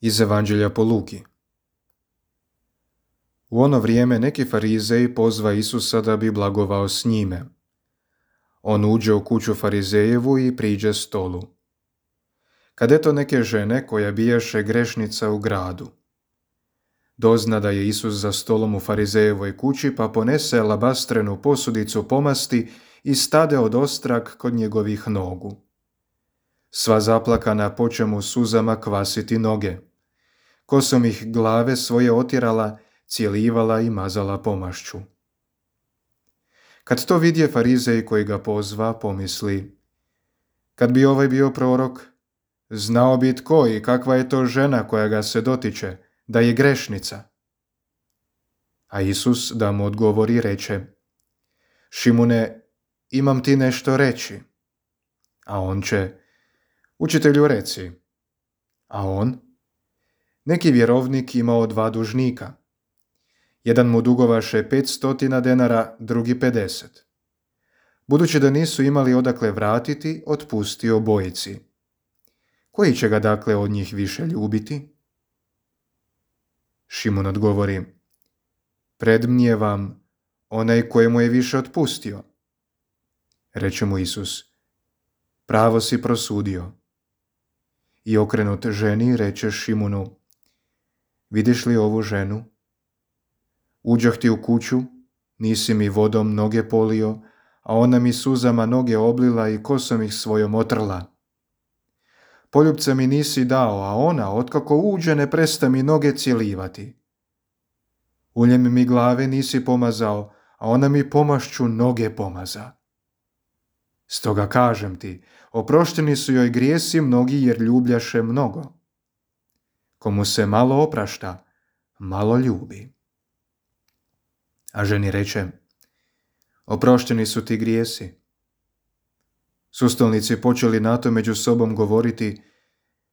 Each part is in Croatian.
Iz Evanđelja po Luki. U ono vrijeme neki farizeji pozva Isusa da bi blagovao s njime. On uđe u kuću farizejevu i priđe stolu. Kad eto neke žene koja bijaše grešnica u gradu. Dozna da je Isus za stolom u farizejevoj kući, pa ponese alabastrenu posudicu pomasti i stade od ostrag kod njegovih nogu. Sva zaplakana poče mu suzama kvasiti noge. Kosom ih glave svoje otjerala, cijelivala i mazala pomašću. Kad to vidje farizej koji ga pozva, pomisli: kad bi ovaj bio prorok, znao bi tko i kakva je to žena koja ga se dotiče, da je grešnica. A Isus da mu odgovori reče: Šimune, imam ti nešto reći. A on će: Učitelju, reci. A on: neki vjerovnik imao 2 dužnika. Jedan mu dugovaše 500 denara, drugi 50. Budući da nisu imali odakle vratiti, otpustio obojici. Koji će ga dakle od njih više ljubiti? Šimun odgovori: predmnijevam onaj kojemu je više otpustio. Reče mu Isus: pravo si prosudio. I okrenut ženi reče Šimunu: vidiš li ovu ženu? Uđoh ti u kuću, nisi mi vodom noge polio, a ona mi suzama noge oblila i kosom ih svojom otrla. Poljupca mi nisi dao, a ona, otkako uđe, ne presta mi noge cijelivati. Uljem mi glave nisi pomazao, a ona mi pomašću noge pomaza. Stoga kažem ti, oprošteni su joj grijesi mnogi jer ljubljaše mnogo. Komu se malo oprašta, malo ljubi. A ženi reče: oprošteni su ti grijesi. Sustolnici počeli na to među sobom govoriti: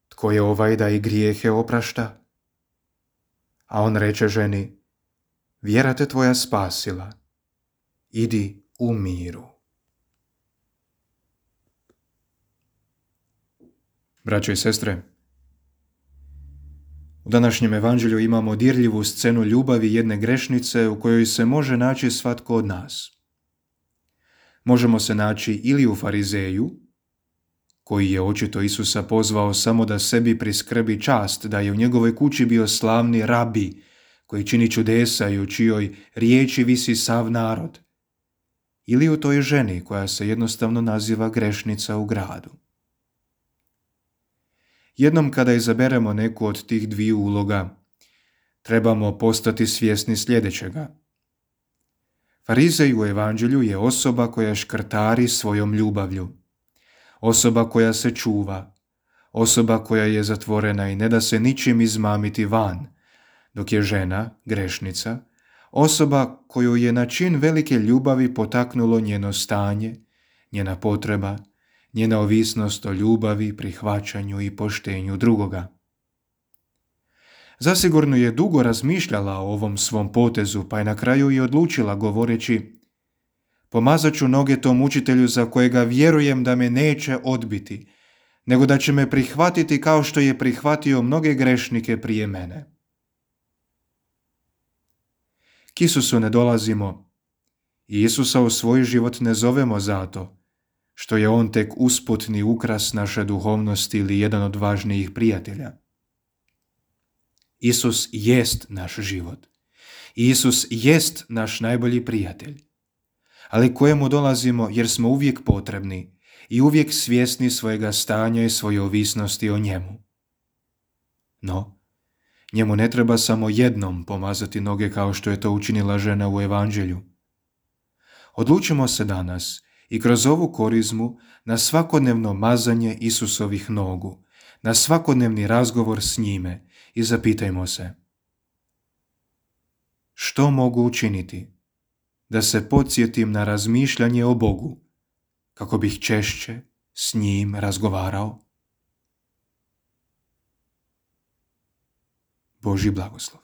tko je ovaj da i grijehe oprašta? A on reče ženi: vjera te tvoja spasila. Idi u miru. Braćo i sestre, u današnjem evanđelju imamo dirljivu scenu ljubavi jedne grešnice u kojoj se može naći svatko od nas. Možemo se naći ili u farizeju, koji je očito Isusa pozvao samo da sebi priskrbi čast da je u njegovoj kući bio slavni rabi, koji čini čudesa i u čijoj riječi visi sav narod, ili u toj ženi koja se jednostavno naziva grešnica u gradu. Jednom kada izaberemo neku od tih dviju uloga, trebamo postati svjesni sljedećega. Farizej u evanđelju je osoba koja škrtari svojom ljubavlju, osoba koja se čuva, osoba koja je zatvorena i ne da se ničim izmamiti van, dok je žena, grešnica, osoba koju je na čin velike ljubavi potaknulo njeno stanje, njena potreba, njena ovisnost o ljubavi, prihvaćanju i poštenju drugoga. Zasigurno je dugo razmišljala o ovom svom potezu, pa je na kraju i odlučila govoreći: pomazat ću noge tom učitelju za kojega vjerujem da me neće odbiti, nego da će me prihvatiti kao što je prihvatio mnoge grešnike prije mene. K Isusu ne dolazimo i Isusa u svoj život ne zovemo zato što je on tek usputni ukras naše duhovnosti ili jedan od važnijih prijatelja. Isus jest naš život. Isus jest naš najbolji prijatelj, ali kojemu dolazimo jer smo uvijek potrebni i uvijek svjesni svojega stanja i svoje ovisnosti o njemu. No, njemu ne treba samo jednom pomazati noge kao što je to učinila žena u evanđelju. Odlučimo se danas i kroz ovu korizmu na svakodnevno mazanje Isusovih nogu, na svakodnevni razgovor s njime i zapitajmo se: što mogu učiniti da se podsjetim na razmišljanje o Bogu, kako bih češće s njim razgovarao? Božji blagoslov.